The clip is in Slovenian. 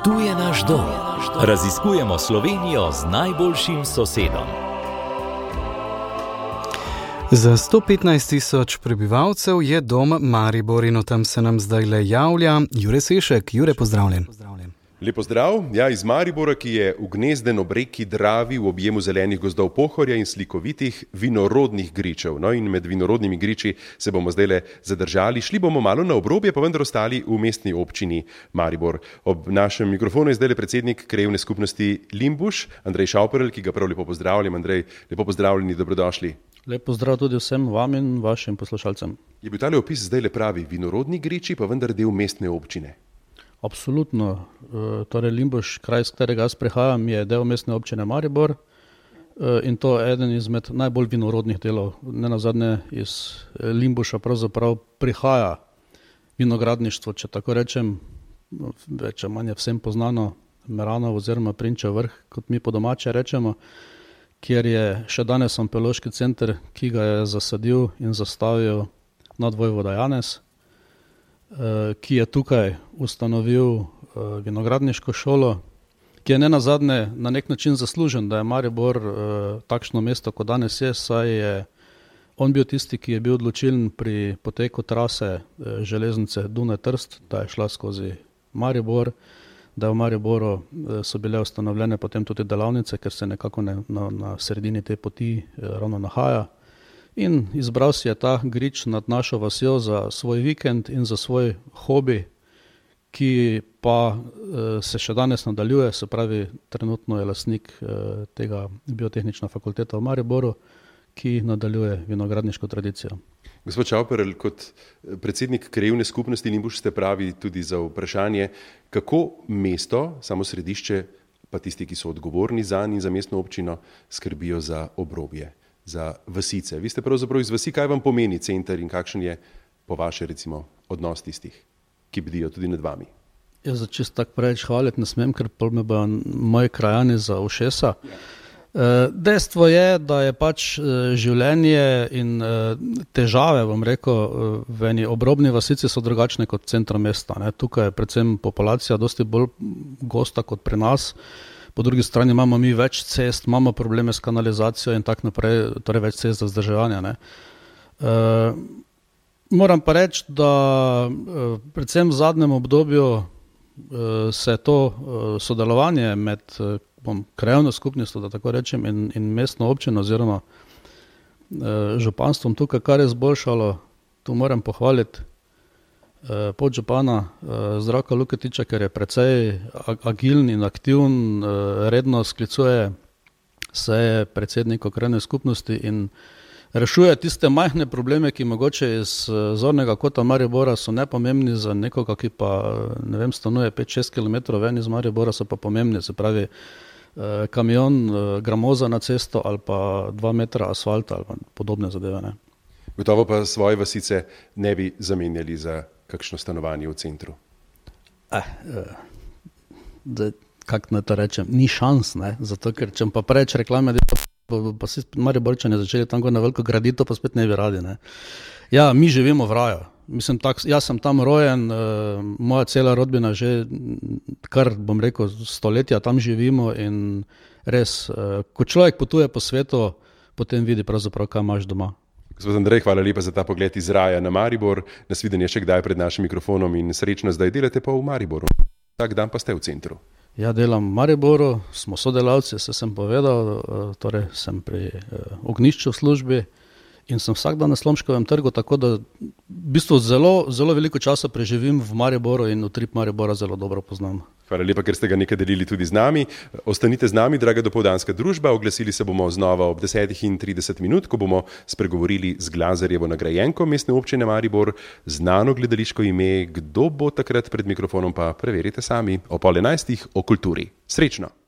Tu je naš dom. Raziskujemo Slovenijo z najboljšim sosedom. Za 115.000 prebivalcev je dom Maribor in o tem se nam zdajle javlja Jure Sešek. Jure, pozdravljen. Lep pozdrav. Ja, iz Maribora, ki je ugnezden ob reki Dravi v objemu zelenih gozdov Pohorja in slikovitih vinorodnih gričev. No, in med vinorodnimi griči se bomo zdajle zadržali. Šli bomo malo na obrobje, pa vendar ostali v mestni občini Maribor. Ob našem mikrofonu je zdajle predsednik krajevne skupnosti Limbuš, Andrej Šauperl, ki ga prav lepo pozdravljam. Andrej, lepo pozdravljeni, dobrodošli. Lep pozdrav tudi vsem vam in vašim poslušalcem. Je bil tale opis zdajle pravi vinorodni griči, pa vendar del mestne občine? Absolutno. Torej Limbuš, kraj, z katerega jaz prihajam, je del mestne občine Maribor in to je eden izmed najbolj vinorodnih delov. Nenazadnje iz Limbuša pravzaprav prihaja vinogradništvo, če tako rečem, več ali manj vsem poznano Meranov oziroma Prinčev vrh, kot mi po domače rečemo, kjer je še danes onkološki center, ki ga je zasadil in zastavil nadvojvoda Janez, ki je tukaj ustanovil vinogradniško šolo, ki je nenazadnje na nek način zaslužen, da je Maribor takšno mesto, kot danes je, saj je on bil tisti, ki je bil odločilen pri poteku trase železnice Dunaj-Trst, da je šla skozi Maribor, da v Mariboru so bile ustanovljene potem tudi delavnice, ker se nekako na sredini te poti ravno nahaja. In izbral si je ta grič nad našo vasjo za svoj vikend in za svoj hobi, ki pa se še danes nadaljuje, se pravi, trenutno je lastnik tega biotehnična fakulteta v Mariboru, ki nadaljuje vinogradniško tradicijo. Gospod Šauperl, kot predsednik krajevne skupnosti Limbuš ste pravi tudi za vprašanje, kako mesto, samo središče, pa tisti, ki so odgovorni zanj in za mestno občino, skrbijo za obrobje, za vasice. Vi ste pravzaprav iz vasi, kaj vam pomeni center in kakšen je po vaše recimo odnos tistih, ki bdijo tudi nad vami? Jaz za čisto tako preveč hvaliti ne smem, ker pol me bojo moji krajani za ušesa. Dejstvo je, da je pač življenje in težave, bom rekel, v eni obrobni vasici so drugačne kot v centru mesta. Tukaj je predvsem populacija dosti bolj gosta kot pri nas. Po drugi strani imamo mi več cest, imamo probleme s kanalizacijo in tako naprej, torej več cest za vzdrževanje. Moram pa reči, da predvsem v zadnjem obdobju se to sodelovanje med krajevno skupnostjo, da tako rečem, in mestno občino oziroma županstvom tukaj kar je izboljšalo. Tu moram pohvaliti podžupana Zdravka Luketiča, ker je precej agilen in aktiven, redno sklicuje seje predsednikov krajevne skupnosti in rešuje tiste majhne probleme, ki mogoče iz zornega kota Maribora so nepomembni za nekoga, ki pa, ne vem, stanuje 5-6 km ven iz Maribora, so pa pomembni, se pravi kamion gramoza na cesto ali pa 2 metra asfalta ali pa podobne zadeve. Ne. Gotovo pa svoje vasice ne bi zamenjali za kakšno stanovanje v centru? Kako naj to rečem? Ni šans, ne? Zato ker če pa preveč reklame, pa si Mariborčani začeli tam na veliko graditi, pa spet ne bi radi. Ne? Ja, mi živimo v raju. Mislim, jaz sem tam rojen, moja cela rodbina že kar, bom rekel, stoletja tam živimo in res, ko človek potuje po svetu, potem vidi pravzaprav, kaj imaš doma. Gospod Andrej, hvala lepa za ta pogled iz raja na Maribor. Nasvidenje še kdaj pred našim mikrofonom in srečno zdaj delate pa v Mariboru. Tak dan pa ste v centru. Ja, delam v Mariboru, smo sodelavci, se sem povedal, torej sem pri ognjišču v službi in sem vsak dan na Slomškovem trgu, tako da v bistvu zelo veliko časa preživim v Mariboru in utrip Maribora zelo dobro poznam. Hvala lepa, ker ste ga nekaj delili tudi z nami. Ostanite z nami, draga dopoldanska družba. Oglasili se bomo znova ob 10:30, ko bomo spregovorili z Glazerjevo nagrajenko mestne občine Maribor, znano gledališko ime. Kdo bo takrat pred mikrofonom, pa preverite sami. O 10:30 o kulturi. Srečno!